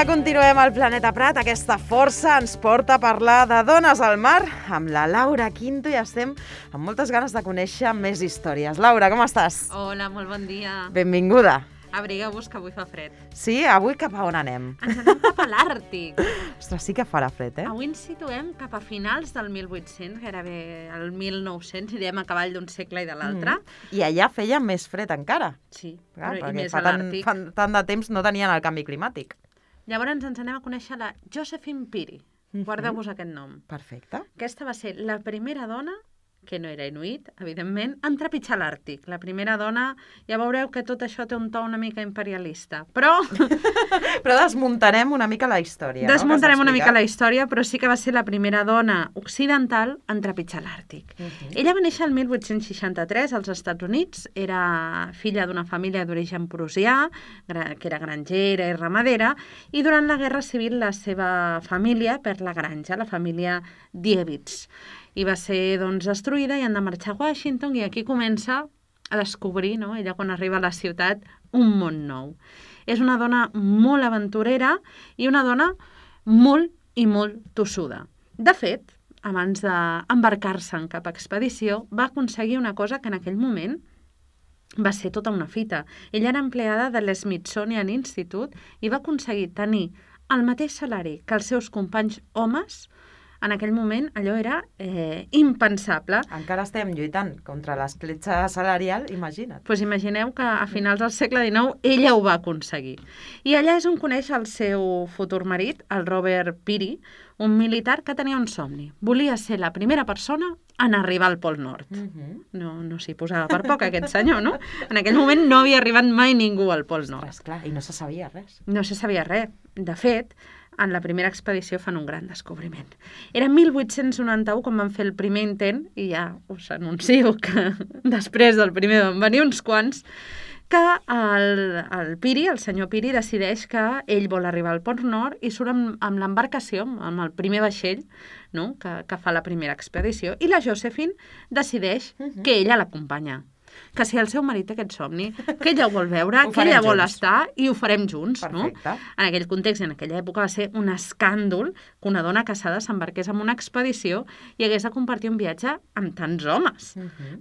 Continuem al Planeta Prat. Aquesta força ens porta a parlar de dones al mar amb la Laura Quinto i estem amb moltes ganes de conèixer més històries. Laura, com estàs? Hola, molt bon dia. Benvinguda. Abrigueu-vos que avui fa fred. Sí? Avui cap a on anem? Ens anem cap a l'Àrtic. Ostres, sí que farà fred, eh? Avui ens situem cap a finals del 1800, gairebé el 1900, irem a cavall d'un segle i de l'altre. I allà feia més fred encara. Sí, Clar, però i més fa a l'Àrtic. tant de temps no tenien el canvi climàtic. Llavors ens anem a conèixer la Josephine Peary. Guardeu-vos aquest nom. Perfecte. Aquesta va ser la primera dona, que no era inuit, evidentment, en trepitjar l'Àrtic. La primera dona, ja veureu que tot això té un to una mica imperialista, però... Però desmuntarem una mica la història, Desmuntarem una mica la història, però sí que va ser la primera dona occidental en trepitjar l'Àrtic. Ella va néixer el 1863 als Estats Units, era filla d'una família d'origen prussià, que era grangera i ramadera, i durant la Guerra Civil la seva família perd la granja, la família Diewitz, i va ser doncs, destruïda i han de marxar a Washington i aquí comença a descobrir, no? Ella quan arriba a la ciutat, un món nou. És una dona molt aventurera i una dona molt i molt tossuda. De fet, abans d'embarcar-se en cap expedició, va aconseguir una cosa que en aquell moment va ser tota una fita. Ella era empleada de l'Smithsonian Institute i va aconseguir tenir el mateix salari que els seus companys homes. En aquell moment allò era impensable. Encara estem lluitant contra l'escletxa salarial, imagina't. Doncs imagineu que a finals del segle XIX ella ho va aconseguir. I allà és on coneix el seu futur marit, el Robert Peary, un militar que tenia un somni. Volia ser la primera persona en arribar al Pol Nord. No s'hi posava per poc aquest senyor, no? En aquell moment no havia arribat mai ningú al Pol Nord. Ostres, clar, i no se sabia res. No se sabia res. De fet, en la primera expedició fan un gran descobriment. Era 1891 quan van fer el primer intent, i ja us anuncio que després del primer van venir uns quants, que el Peary, el senyor Peary, decideix que ell vol arribar al Pol Nord i surt amb l'embarcació, amb el primer vaixell, no? que fa la primera expedició, i la Josephine decideix que ella l'acompanya. Que si el seu marit té aquest somni, que ella ho vol veure, que ella vol estar i ho farem junts, no? En aquell context i en aquella època va ser un escàndol que una dona casada s'embarqués en una expedició i hagués de compartir un viatge amb tants homes.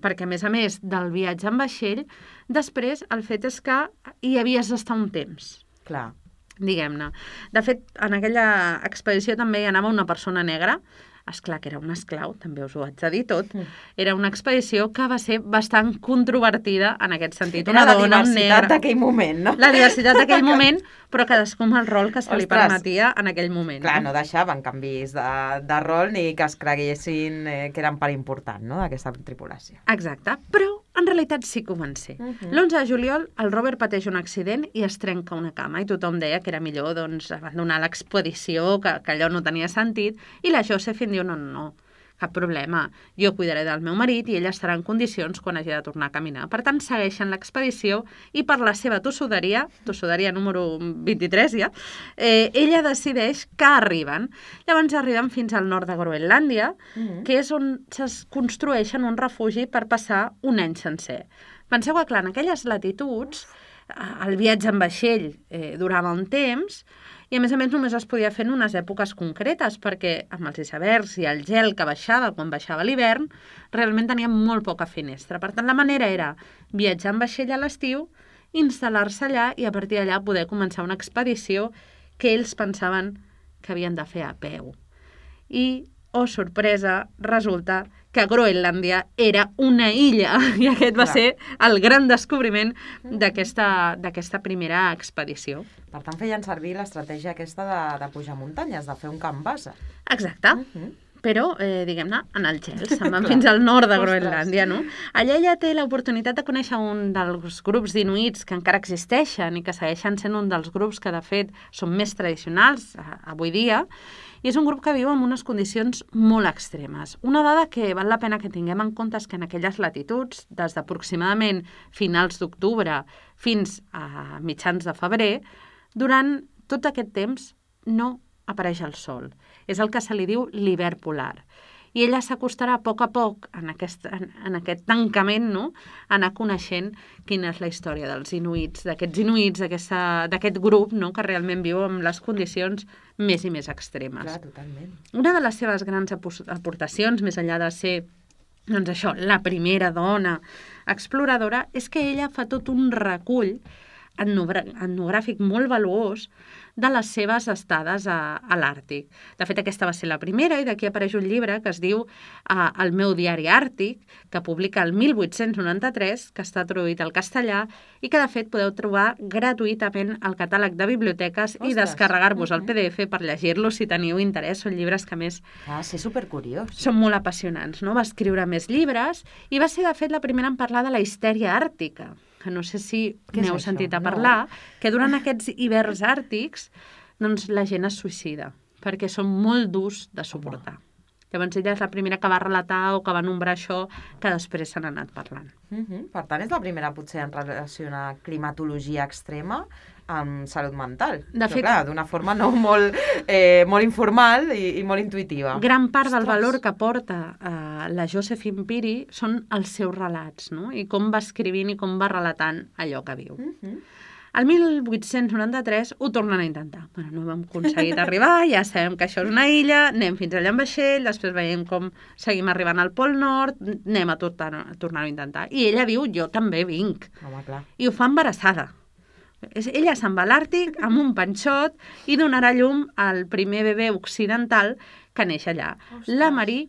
Perquè, a més del viatge en vaixell, després el fet és que hi havies d'estar un temps. Clar. Diguem-ne. De fet, en aquella expedició també hi anava una persona negra. Esclar que era un esclau, també us ho haig de dir tot. Era una expedició que va ser bastant controvertida en aquest sentit. Era la diversitat d'aquell moment, no? La diversitat d'aquell moment, però cadascú amb el rol que se li permetia en aquell moment. Clar, no deixaven canvis de rol ni que es creguessin que eren part important, no?, d'aquesta tripulació. Exacte, però en realitat sí que ho van ser. L'11 de juliol el Robert pateix un accident i es trenca una cama i tothom deia que era millor doncs, abandonar l'expedició, que allò no tenia sentit, i la Josephine diu no, cap problema, jo cuidaré del meu marit i ella estarà en condicions quan hagi de tornar a caminar. Per tant, segueixen l'expedició i per la seva tossuderia número 23 ja, ella decideix que arriben. Llavors arriben fins al nord de Groenlàndia, que és on es construeixen un refugi per passar un any sencer. Penseu que, clar, en aquelles latituds, el viatge en vaixell durava un temps, i a més només es podia fer en unes èpoques concretes, perquè amb els icebergs i el gel que baixava quan baixava l'hivern, realment teníem molt poca finestra. Per tant, la manera era viatjar en vaixell a l'estiu, instal·lar-se allà i a partir d'allà poder començar una expedició que ells pensaven que havien de fer a peu. I, oh sorpresa, resulta que Groenlàndia era una illa i aquest va ser el gran descobriment d'aquesta primera expedició. Per tant, feien servir l'estratègia aquesta de pujar muntanyes, de fer un camp base. Exacte. però, diguem-ne, en el gel, se'n van fins al nord de Groenlàndia, no? Allà ella té l'oportunitat de conèixer un dels grups d'inuits que encara existeixen i que segueixen sent un dels grups que, de fet, són més tradicionals avui dia, i és un grup que viu en unes condicions molt extremes. Una dada que val la pena que tinguem en compte és que en aquelles latituds, des d'aproximadament finals d'octubre fins a mitjans de febrer, durant tot aquest temps no apareix el sol. És el que se li diu l'hivern polar. I ella s'acostarà a poc en aquest tancament, no?, a anar coneixent quina és la història dels inuits, d'aquest grup, no?, que realment viu en les condicions més i més extremes. Clar, totalment. Una de les seves grans aportacions, més enllà de ser, doncs això, la primera dona exploradora, és que ella fa tot un recull etnogràfic molt valuós de les seves estades a l'Àrtic. De fet, aquesta va ser la primera i d'aquí apareix un llibre que es diu El meu diari àrtic, que publica el 1893, que està traduït al castellà i que, de fet, podeu trobar gratuïtament al catàleg de biblioteques i descarregar-vos el PDF per llegir-lo si teniu interès. Són llibres que, a més, sí, supercuriós. Són molt apassionants, no? Va escriure més llibres i va ser, de fet, la primera en parlar de la histèria àrtica, que no sé si n'heu sentit a parlar, que durant aquests hiverns àrtics doncs la gent es suïcida, perquè són molt durs de suportar. Llavors ella és la primera que va relatar o que va nombrar això, que després s'han anat parlant. Per tant, és la primera potser en relacionar climatologia extrema amb salut mental. De fet, clar, d'una forma no molt informal i molt intuïtiva. Gran part del valor que porta la Josephine Peary són els seus relats, no? I com va escrivint i com va relatant allò que viu. El 1893 ho tornen a intentar. Bueno, no hem aconseguit arribar, ja sabem que això és una illa, anem fins allà en vaixell, després veiem com seguim arribant al Pol Nord, anem a tornar-ho a intentar. I ella diu, jo també vinc. Home, clar. I ho fa embarassada. Ella se'n va a l'Àrtic amb un panxot i donarà llum al primer bebè occidental que neix allà, la Marie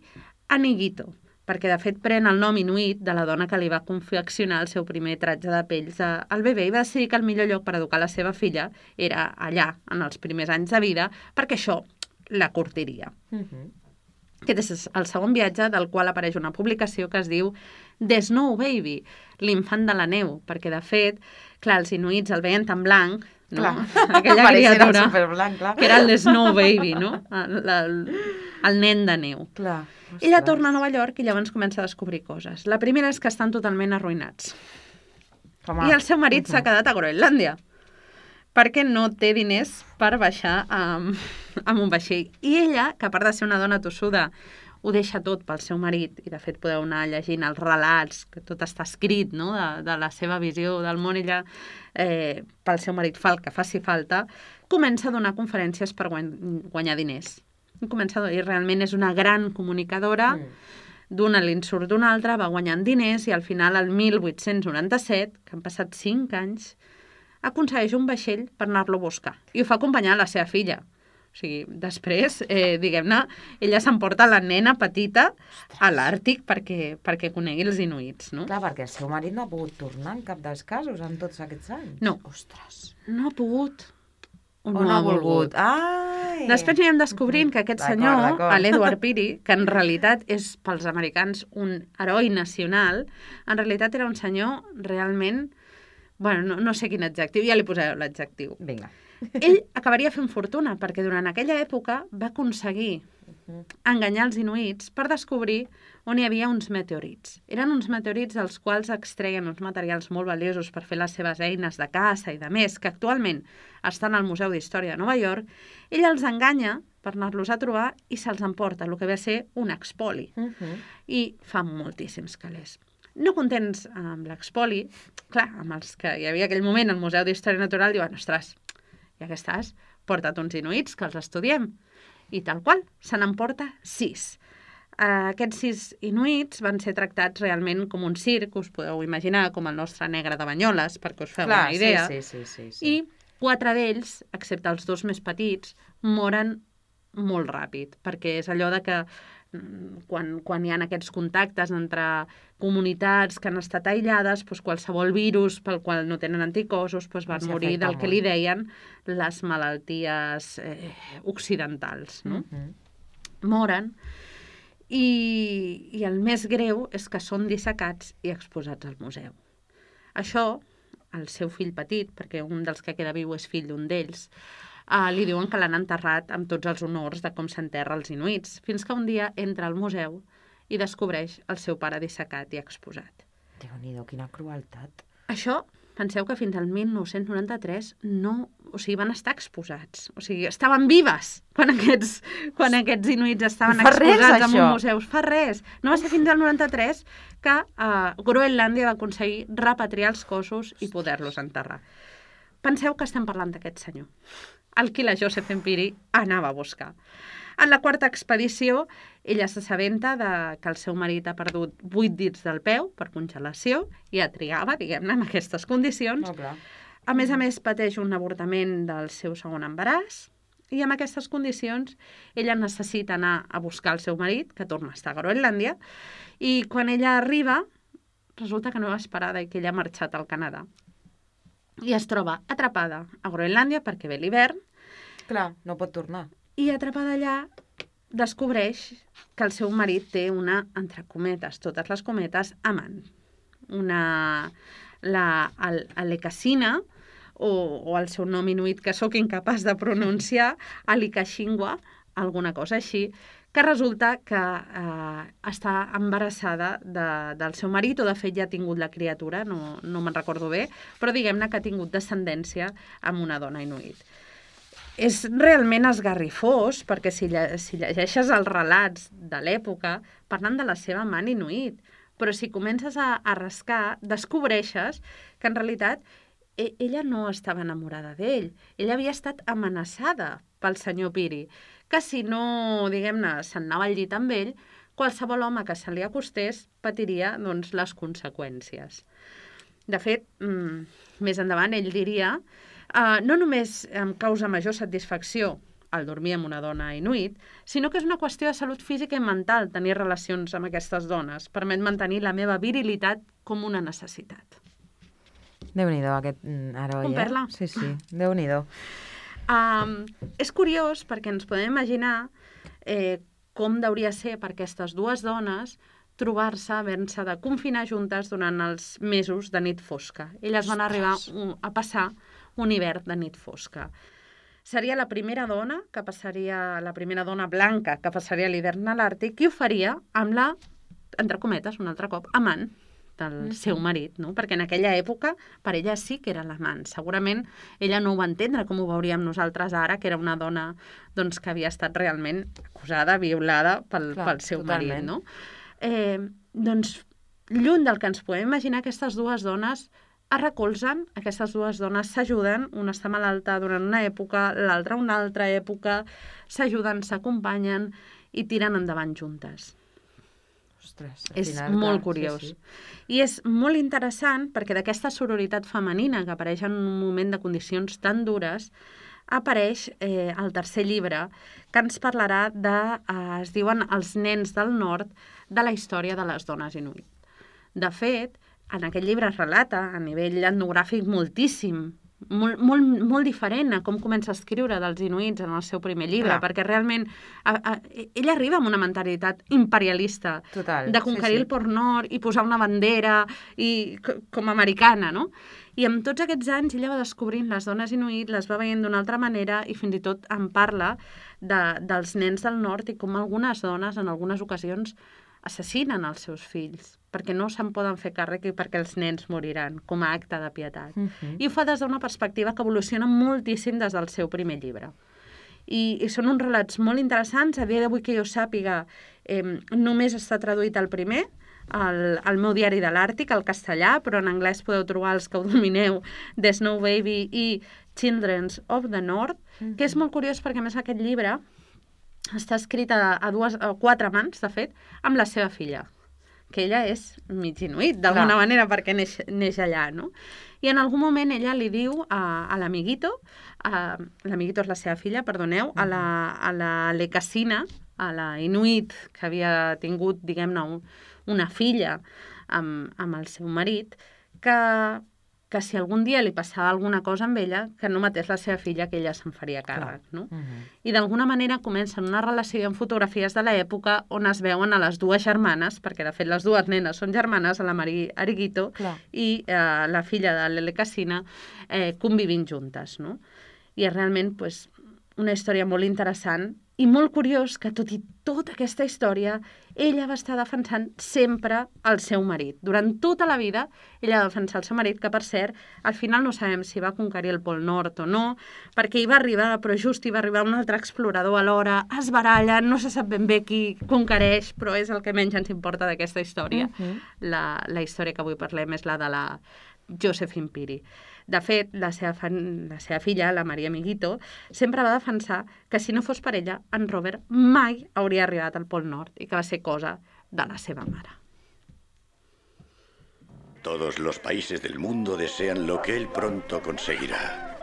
Aniguito, perquè de fet pren el nom inuit de la dona que li va confeccionar el seu primer tratge de pells al bebè i va decidir que el millor lloc per educar la seva filla era allà, en els primers anys de vida, perquè això la curtiria. Aquest és el segon viatge, del qual apareix una publicació que es diu The Snow Baby, l'infant de la neu, perquè de fet, clar, els inuits el veien tan blanc, no? Aquella criatura, que era el Snow Baby, no? El nen de neu. Clar. Ella torna a Nova York i llavors comença a descobrir coses. La primera és que estan totalment arruïnats. I el seu marit s'ha quedat a Groenlàndia, perquè no té diners per baixar amb un vaixell. I ella, que a part de ser una dona tossuda, ho deixa tot pel seu marit, i de fet podeu anar llegint els relats, que tot està escrit, no?, de la seva visió del món. Ella, pel seu marit, fa el que faci falta, comença a donar conferències per guanyar diners. I realment és una gran comunicadora, d'una li en surt d'una altra, va guanyant diners, i al final, el 1897, que han passat 5 anys, aconsegueix un vaixell per anar-lo a buscar. I ho fa acompanyar la seva filla. O sigui, després, diguem-ne, ella s'emporta la nena petita a l'Àrtic perquè conegui els inuits, no? Clar, perquè el seu marit no ha pogut tornar en cap dels casos en tots aquests anys. No. Ostres. No ha pogut. O no ha volgut. Ai! Després anirem descobrint que aquest senyor, l'Edward Peary, que en realitat és pels americans un heroi nacional, en realitat era un senyor realment... Bueno, no sé quin adjectiu, ja li posaré l'adjectiu. Vinga. Ell acabaria fent fortuna, perquè durant aquella època va aconseguir enganyar els inuits per descobrir on hi havia uns meteorits. Eren uns meteorits dels quals extreien uns materials molt valiosos per fer les seves eines de caça i de més, que actualment estan al Museu d'Història de Nova York. Ell els enganya per anar-los a trobar i se'ls emporta, el que ve a ser un expoli. I fa moltíssims calés. No contents amb l'expoli, clar, amb els que hi havia aquell moment al Museu d'Història Natural, diuen, ostres, ja que estàs, porta't uns inuits, que els estudiem. I tal qual, se n'emporta 6. Aquests 6 inuits van ser tractats realment com un circ, us podeu imaginar, com el nostre negre de Banyoles, perquè us feu una idea. Sí. I 4 d'ells, excepte els 2 més petits, moren molt ràpid, perquè és allò de que quan hi ha aquests contactes entre comunitats que han estat aïllades, doncs qualsevol virus pel qual no tenen anticossos van morir del que li deien les malalties occidentals. No? Moren. I el més greu és que són dissecats i exposats al museu. Això, el seu fill petit, perquè un dels que queda viu és fill d'un d'ells, li diuen que l'han enterrat amb tots els honors de com s'enterra els inuits, fins que un dia entra al museu i descobreix el seu pare dissecat i exposat. Déu-n'hi-do, quina crueltat. Això, penseu que fins al 1993 van estar exposats. O sigui, estaven vives quan aquests inuits estaven exposats en un museu. Fa res. No va ser fins al 93 que Groenlàndia va aconseguir repatriar els cossos i poder-los enterrar. Penseu que estem parlant d'aquest senyor, el qui la Josephine Peary anava a buscar. En la quarta expedició, ella s'assabenta que el seu marit ha perdut 8 dits del peu per congelació i a trigava, diguem-ne, en aquestes condicions. A més, pateix un avortament del seu segon embaràs i en aquestes condicions ella necessita anar a buscar el seu marit, que torna a estar a Groenlàndia, i quan ella arriba, resulta que no va esperada i que ella ha marxat al Canadà. I es troba atrapada a Groenlàndia perquè ve l'hivern. Clar, no pot tornar. I atrapada allà descobreix que el seu marit té una, entre cometes, totes les cometes, amant. Alekasina, o el seu nom inuit que sóc incapaç de pronunciar, Alikashingwa, alguna cosa així, que resulta que està embarassada del seu marit, o de fet ja ha tingut la criatura, no me'n recordo bé, però diguem-ne que ha tingut descendència amb una dona inuit. És realment esgarrifós, perquè si llegeixes els relats de l'època, parlen de la seva amant inuit, però si comences a rascar, descobreixes que en realitat ella no estava enamorada d'ell. Ella havia estat amenaçada pel senyor Peary, que si no, diguem-ne, se'n anava al llit amb ell, qualsevol home que se li acostés patiria, doncs, les conseqüències. De fet, més endavant ell diria no només em causa major satisfacció el dormir amb una dona inuit, sinó que és una qüestió de salut física i mental tenir relacions amb aquestes dones. Permet mantenir la meva virilitat com una necessitat. Déu-n'hi-do, aquest heroi, Un perla. Sí, Déu-n'hi-do. És curiós perquè ens podem imaginar com deuria ser per aquestes dues dones trobar-se, haver-se de confinar juntes durant els mesos de nit fosca. Elles van arribar a passar un hivern de nit fosca. Seria la primera dona blanca que passaria l'hivern a l'Àrtic i ho faria amb la, entre cometes, un altre cop, amant del seu marit, no? Perquè en aquella època per ella sí que era l'amant. Segurament ella no ho va entendre com ho veuríem nosaltres ara, que era una dona doncs, que havia estat realment acusada, violada pel seu marit. No? Doncs, lluny del que ens podem imaginar, aquestes dues dones es recolzen, aquestes dues dones s'ajuden, una està malalta durant una època, l'altra una altra època, s'ajuden, s'acompanyen i tiren endavant juntes. Ostres, és molt curiós. Sí. I és molt interessant perquè d'aquesta sororitat femenina que apareix en un moment de condicions tan dures, apareix el tercer llibre que ens parlarà es diuen Els nens del nord, de la història de les dones inuit. De fet, en aquest llibre es relata a nivell etnogràfic moltíssim, molt diferent a com comença a escriure dels inuits en el seu primer llibre, perquè realment ell arriba amb una mentalitat imperialista de conquerir el Pol Nord i posar una bandera com americana, no? I amb tots aquests anys ella va descobrint les dones inuit, les va veient d'una altra manera i fins i tot en parla dels nens del nord i com algunes dones en algunes ocasions assassinen els seus fills perquè no se'n poden fer càrrec i perquè els nens moriran, com a acte de pietat. I ho fa des d'una perspectiva que evoluciona moltíssim des del seu primer llibre. I són uns relats molt interessants. A dia d'avui que jo sàpiga, només està traduït el primer, al meu diari de l'Àrtic, al castellà, però en anglès podeu trobar els que ho domineu, The Snow Baby i Children of the North, que és molt curiós perquè, a més, aquest llibre està escrit a 4 mans, de fet, amb la seva filla, que ella és mig inuit, d'alguna manera, perquè neix allà, no? I en algun moment ella li diu a l'amiguito, l'amiguito és la seva filla, perdoneu, a la Lekasina, a la inuit que havia tingut, diguem-ne, una filla amb el seu marit, que que si algun dia li passava alguna cosa amb ella, que no matés la seva filla, que ella se'n faria càrrec, no? I d'alguna manera comencen una relació amb fotografies de l'època on es veuen a les dues germanes, perquè de fet les dues nenes són germanes, la Marie Ariguito i la filla de Lele Cassina, convivint juntes, no? I és realment una història molt interessant i molt curiós que, tot i tota aquesta història, ella va estar defensant sempre el seu marit. Durant tota la vida, ella va defensar el seu marit, que, per cert, al final no sabem si va conquerir el Pol Nord o no, perquè hi va arribar, però just hi va arribar un altre explorador alhora, es barallen, no se sap ben bé qui conquereix, però és el que menys ens importa d'aquesta història. La història que avui parlem és la de la Josephine Piri. De fet, la seva filla, la Maria Amiguito, sempre va defensar que si no fos per ella, en Robert mai hauria arribat al Pol Nord i que va ser cosa de la seva mare. Todos los países del mundo desean lo que él pronto conseguirá.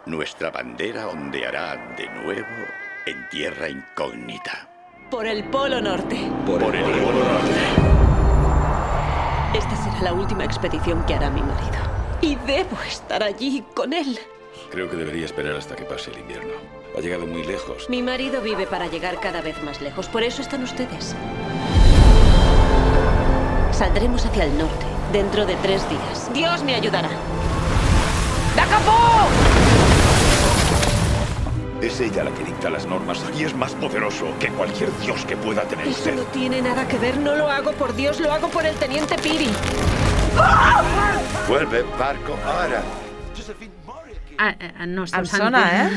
Nuestra bandera ondeará de nuevo en tierra incógnita. Por el Polo Norte. Por el Polo Norte. Esta será la última expedición que hará mi marido. Y debo estar allí con él. Creo que debería esperar hasta que pase el invierno. Ha llegado muy lejos. Mi marido vive para llegar cada vez más lejos. Por eso están ustedes. Saldremos hacia el norte dentro de 3 días. Dios me ayudará. ¡Dacapó! Es ella la que dicta las normas y es más poderoso que cualquier dios que pueda tener Eso usted. no tiene nada que ver. No lo hago por Dios, lo hago por el teniente Piri. Vuelve, barco, ahora. No esteu Em sona,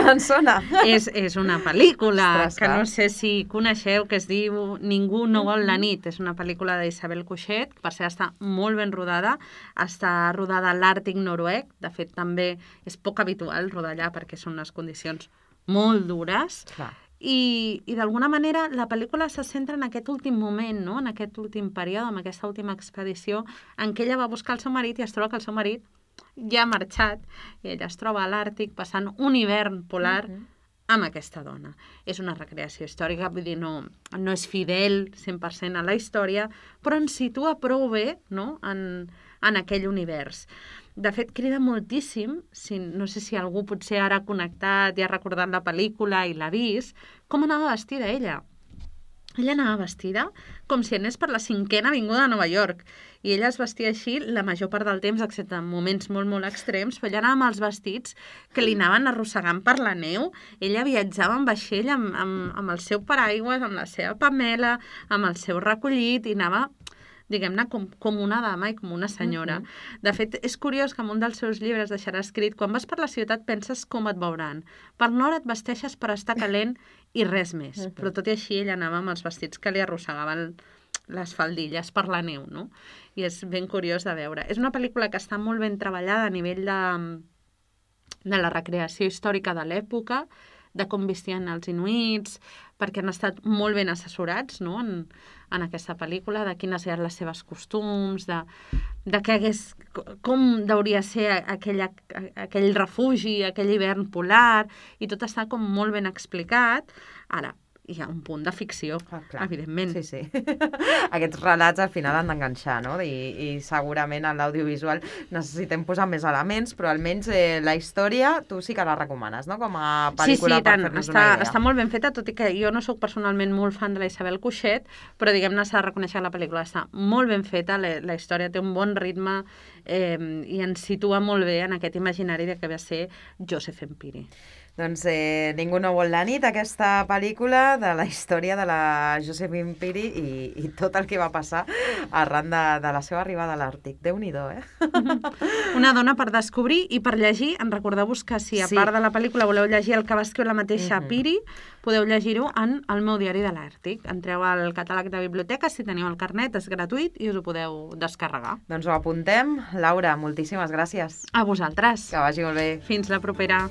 Em sona. És una pel·lícula Ostres, que no sé si coneixeu, que es diu Ningú no vol la nit. És una pel·lícula d'Isabel Coixet, que per cert està molt ben rodada. Està rodada a l'Àrtic noruec. De fet, també és poc habitual rodar allà perquè són unes condicions molt dures. Clar. I d'alguna manera la pel·lícula se centra en aquest últim moment, no? En aquest últim període, en aquesta última expedició en què ella va buscar el seu marit i es troba que el seu marit ja ha marxat i ella es troba a l'Àrtic passant un hivern polar amb aquesta dona. És una recreació històrica, vull dir, no és fidel 100% a la història, però ens situa prou bé, no?, en aquell univers. De fet, crida moltíssim, no sé si algú potser ara ha connectat i ha recordat la pel·lícula i l'ha vist, com anava vestida ella. Ella anava vestida com si anés per la 5a avinguda de Nova York. I ella es vestia així la major part del temps, excepte en moments molt, molt extrems, però ella anava amb els vestits que li anaven arrossegant per la neu. Ella viatjava en vaixell amb el seu paraigües, amb la seva pamela, amb el seu recollit, i anava, diguem-ne, com una dama i com una senyora. De fet, és curiós que en un dels seus llibres deixarà escrit: quan vas per la ciutat penses com et veuran. Per nord et vesteixes per estar calent i res més. Però tot i així ella anava amb els vestits que li arrossegaven les faldilles per la neu, no? I és ben curiós de veure. És una pel·lícula que està molt ben treballada a nivell de la recreació històrica de l'època, de com vestien els inuits, perquè han estat molt ben assessorats, no?, en aquesta pel·lícula, de quines eren les seves costums, com hauria ser aquell refugi, aquell hivern polar, i tot està com molt ben explicat. Ara, hi ha un punt de ficció, evidentment. Sí. Aquests relats al final han d'enganxar, no? I segurament en l'audiovisual necessitem posar més elements, però almenys la història tu sí que la recomanes, no? Com a pel·lícula per fer-nos una idea. Està molt ben feta, tot i que jo no sóc personalment molt fan de la Isabel Coixet, però diguem-ne, s'ha de reconèixer que la pel·lícula està molt ben feta, la història té un bon ritme i ens situa molt bé en aquest imaginari de que va ser Josephine Piri. Doncs Ningú no vol la nit, aquesta pel·lícula de la història de la Josephine Piri i tot el que va passar arran de la seva arribada a l'Àrtic. Déu-n'hi-do, Una dona per descobrir i per llegir. En recordeu-vos que si a part de la pel·lícula voleu llegir el que va escriure la mateixa Piri, podeu llegir-ho en El meu diari de l'Àrtic. Entreu al catàleg de biblioteca, si teniu el carnet, és gratuït i us ho podeu descarregar. Doncs ho apuntem. Laura, moltíssimes gràcies. A vosaltres. Que vagi molt bé. Fins la propera.